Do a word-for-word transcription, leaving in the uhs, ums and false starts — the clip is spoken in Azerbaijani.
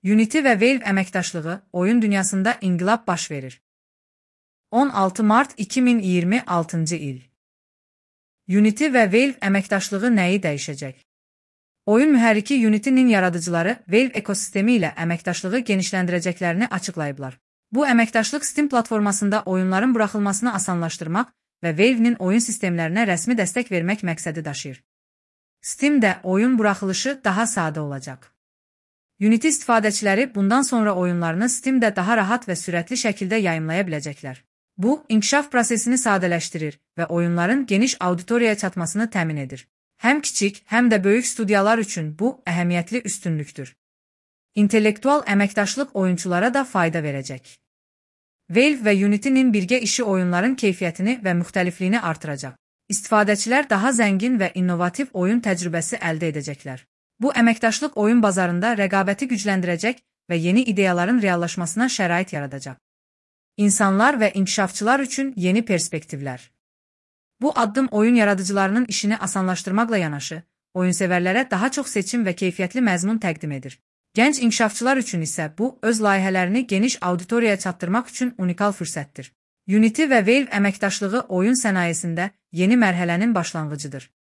Unity və Valve əməkdaşlığı oyun dünyasında inqilab baş verir. on altı mart iki min iyirmi altıncı il. Unity və Valve əməkdaşlığı nəyi dəyişəcək? Oyun mühərriki Unity-nin yaradıcıları Valve ekosistemi ilə əməkdaşlığı genişləndirəcəklərini açıqlayıblar. Bu əməkdaşlıq Steam platformasında oyunların buraxılmasını asanlaşdırmaq və Valve-nin oyun sistemlərinə rəsmi dəstək vermək məqsədi daşıyır. Steam-də oyun buraxılışı daha sadə olacaq. Unity istifadəçiləri bundan sonra oyunlarını Steam-də daha rahat və sürətli şəkildə yayımlaya biləcəklər. Bu, inkişaf prosesini sadələşdirir və oyunların geniş auditoriyaya çatmasını təmin edir. Həm kiçik, həm də böyük studiyalar üçün bu əhəmiyyətli üstünlükdür. İntellektual əməkdaşlıq oyunçulara da fayda verəcək. Valve və Unity-nin birgə işi oyunların keyfiyyətini və müxtəlifliyini artıracaq. İstifadəçilər daha zəngin və innovativ oyun təcrübəsi əldə edəcəklər. Bu əməkdaşlıq oyun bazarında rəqabəti gücləndirəcək və yeni ideyaların reallaşmasına şərait yaradacaq. İnsanlar və inkişafçılar üçün yeni perspektivlər. Bu addım oyun yaradıcılarının işini asanlaşdırmaqla yanaşı, oyunsevərlərə daha çox seçim və keyfiyyətli məzmun təqdim edir. Gənc inkişafçılar üçün isə bu, öz layihələrini geniş auditoriyaya çatdırmaq üçün unikal fürsətdir. Unity və Valve əməkdaşlığı oyun sənayesində yeni mərhələnin başlanğıcıdır.